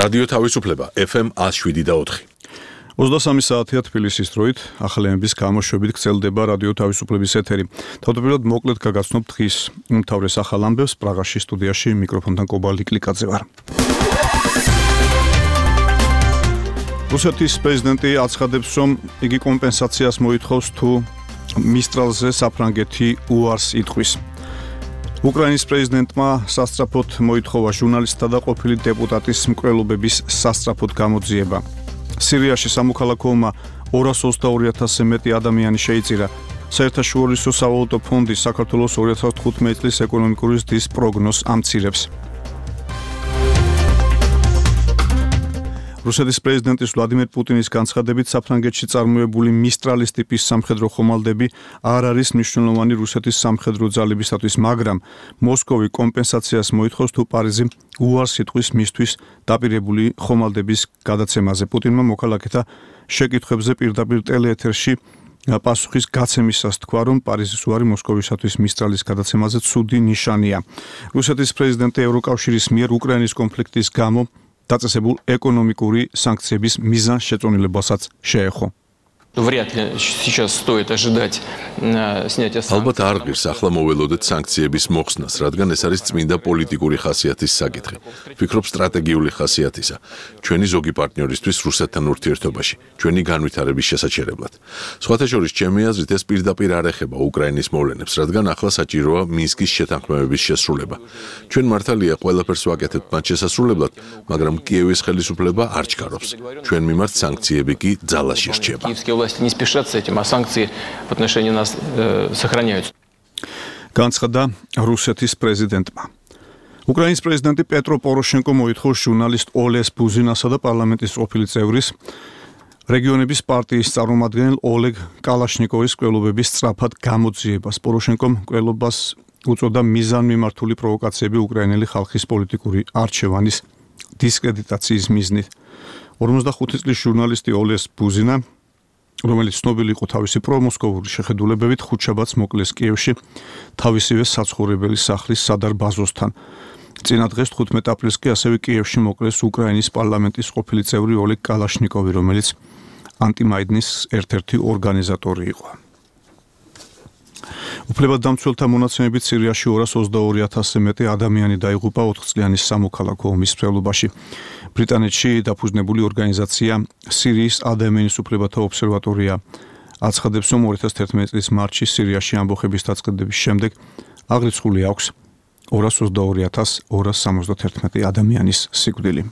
რადიო თავისუფლება FM 107.4. 23 საათია თბილისის დროით, ახალემების გამოშვებით გრძელდება რადიო თავისუფლების ეთერი. თავდაპირველად მოკლედ გაგაცნობ დღის უმთავრეს ახალ ამბებს პრაღაში სტუდიაში მიკროფონთან კობალი კლიკაძე ვარ. რუსეთის პრეზიდენტი აცხადებს, რომ იგი კომპენსაციას მოითხოვს თუ მისტრალზე საფრანგეთი უარს იტყვის. უკრაინის პრეზიდენტმა სასწრაფოდ მოითხოვა ჟურნალისტთა და ყოფილი დეპუტატის მკვლელობების სასწრაფოდ გამოძიება. სირიაში სამოქალაქო ომმა 222,000-ზე მეტი ადამიანი შეიწირა. საერთაშორისო სავალუტო ფონდი საქართველოს 2015 წლის ეკონომიკური ზრდის პროგნოზს ამცირებს. რუსეთის პრეზიდენტის ვლადიმერ პუტინის განცხადებით საფრანგეთში წარმოებული მისტრალის ტიპის სამხედრო ხომალდები არ არის მნიშვნელოვანი რუსეთის სამხედრო ძალებისათვის, მაგრამ მოსკოვი კომპენსაციას მოითხოვს თუ პარიზი უარს იტყვის მისთვის დაპირებული ხომალდების გადაცემაზე. პუტინმა მოქალაქეთა შეკითხვებზე პირდაპირ ტელეეთერში პასუხის გაცემისას თქვა, რომ პარიზის უარი მოსკოვისათვის მისტრალის გადაცემაზე ცუდი ნიშანია. რუსეთის პრეზიდენტი ევროკავშირის მიერ უკრაინის კონფლიქტის გამო დაწესებულ ეკონომიკური სანქციების მიზანს შეწონილებასაც შეეხო. Вряд ли сейчас стоит ожидать снятия санкций. ალბათ არ ღირს ახლა მოველოდეთ სანქციების მოხსნას, რადგან ეს არის წმინდა პოლიტიკური ხასიათის საკითხი. ვფიქრობ სტრატეგიული ხასიათისა. ჩვენი ზოგი პარტნიორისთვის რუსეთთან ურთიერთობაში, ჩვენი განვითარების შესაჩერებლად. სხვათა შორის, ჩემი აზრით, ეს პირდაპირ არ ეხება უკრაინის მოვლენებს, რადგან ახლა საჭიროა მინსკის შეთანხმებების შესრულება. ჩვენ მართალია ყველაფერს ვაკეთებთ მათ შესასრულებლად, მაგრამ კიევის ხელისუფლება არ ჩქარობს. ჩვენ მიმართ სანქციები კი ძალაში რჩება. Власти не спешат с этим, а санкции в отношении нас сохраняются. განცხადა რუსეთის პრეზიდენტმა. უკრაინის პრეზიდენტი პეტრო პოროშენკო მოითხოვს ჟურნალისტ ოლეს ბუზინასა და პარლამენტის ყოფილი წევრის რეგიონების პარტიის წარმომადგენელ ოლეგ კალაშნიკოვის მკვლელობების სწრაფად გამოძიებას. პოროშენკომ მკვლელობას უწოდა მიზანმიმართული პროვოკაციები უკრაინელი ხალხის პოლიტიკური არჩევანის დისკრედიტაციის მიზნით. 45 წლის ჟურნალისტი ოლეს ბუზინა, რომელიც ცნობილი იყო თავისი პრომოსკოვური შეხედულებებით, ხუთშაბათს მოკლეს კიევში თავისივე საცხოვრებელი სახლის სადარბაზოსთან. წინა დღეს 15 აპრილს კი ასევე კიევში მოკლეს უკრაინის პარლამენტის ყოფილი წევრი ოლეგ კალაშნიკოვი, რომელიც ანტიმაიდნის ერთ-ერთი ორგანიზატორი იყო. უფლებადამცველთა მონაცემებით სირიაში 222,000-ზე მეტი ადამიანი დაიღუპა 4 წლიანი სამოქალაქო ომის მსვლელობაში. ბრიტანეთში დაფუძნებული ორგანიზაცია სირიის ადამიანის უფლებათა ობსერვატორია აცხადებს, რომ 2011 წლის მარტში სირიაში ამბოხების დაწყების შემდეგ აღრიცხული აქვს 222,271 ადამიანის სიკვდილი.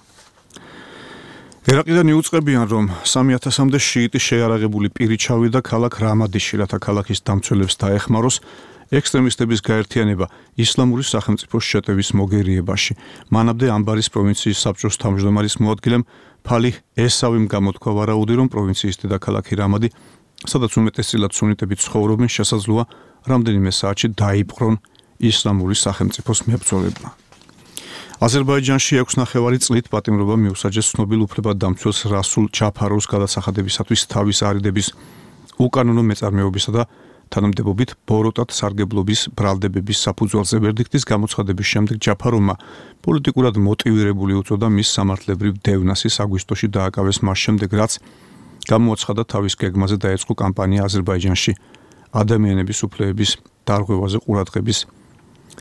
ერაყიდან იუწყებიან, რომ 3,000-მდე შიიტი შეიარაღებული პირი ჩავიდა ქალაქ რამადიში, რათა ქალაქის დამცველებს დაეხმაროს ექსტრემისტების გაერთიანება ისლამური სახელმწიფოს შეტევის მოგერიებაში. მანამდე ამბარის პროვინციის საბჭოს თავმჯდომარის მოადგილემ ფალih ესავიმ გამოთქვა ვარაუდი, რომ პროვინციის დედაქალაქი რამადი, სადაც უმეტესწილად სუნიტები ცხოვრობენ, შესაძლოა რამდენიმე საათში დაიპყრონ ისლამური სახელმწიფოს მებრძოლებმა. აზერბაიჯანში 6,5 წლით პატიმრობა მიუსაჯეს ცნობილ უფლებადამცველს რასულ ჯაფაროვს გადასახადებისათვის თავის არიდების უკანონო მეწარმეობისა და თანამდებობით ბოროტად სარგებლობის ბრალდებების საფუძველზე ვერდიქტის გამოცხადების შემდეგ ჯაფაროვმა პოლიტიკურად მოტივირებული უწოდა მის სამართლებრივ დევნასის აგვისტოში დააკავეს მას შემდეგ, რაც გამოაცხადა თავის გეგმაზე დაეწყო კამპანია აზერბაიჯანში ადამიანების უფლებების დარღვევაზე ყურადღების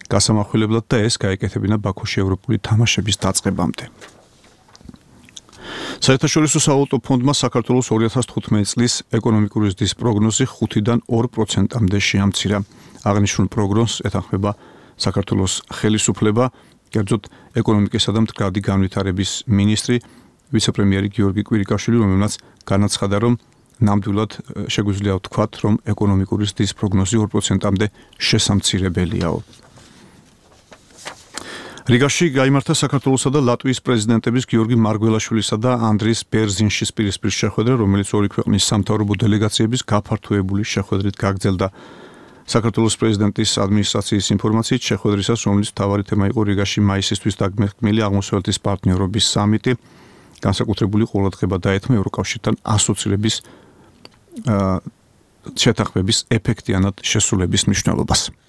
გასამახვილებლად და ეს გაეკეთებინა ბაქოში ევროპული თამაშების დაწყებამდე. საერთაშორისო სავალუტო ფონდმა საქართველოს 2015 წლის ეკონომიკური ზრდის პროგნოზი 5-დან 2%-მდე შეამცირა. აღნიშნულ პროგნოზს ეთანხმება საქართველოს ხელისუფლება, კერძოდ ეკონომიკისა და მდგრადი განვითარების მინისტრი, ვიცე-პრემიერი გიორგი კვირიკაშვილი, რომელმაც განაცხადა, რომ ნამდვილად შეგვიძლია ვთქვათ, რომ ეკონომიკური ზრდის პროგნოზი 2%-მდე შესამცირებელიაო. რიგაში გაიმართა საქართველოსა და ლატვიის პრეზიდენტების გიორგი მარგველაშვილისა და ანდრის ბერზინშის პირისპირ შეხვედრა, რომელიც ორი ქვეყნის სამთავრობო დელეგაციების გაფართოებული შეხვედრით გაგრძელდა. საქართველოს პრეზიდენტის ადმინისტრაციის ინფორმაციით, შეხვედრისას, რომლის მთავარი თემა იყო რიგაში მაისისთვის დაგმეხმილი აღმოსავლეთის პარტნიორობის სამიტი, განსაკუთრებული ყურადღება დაეთმო ევროკავშირთან ასოცირების შეთანხმების ეფექტიანად შესრულების მნიშვნელობას.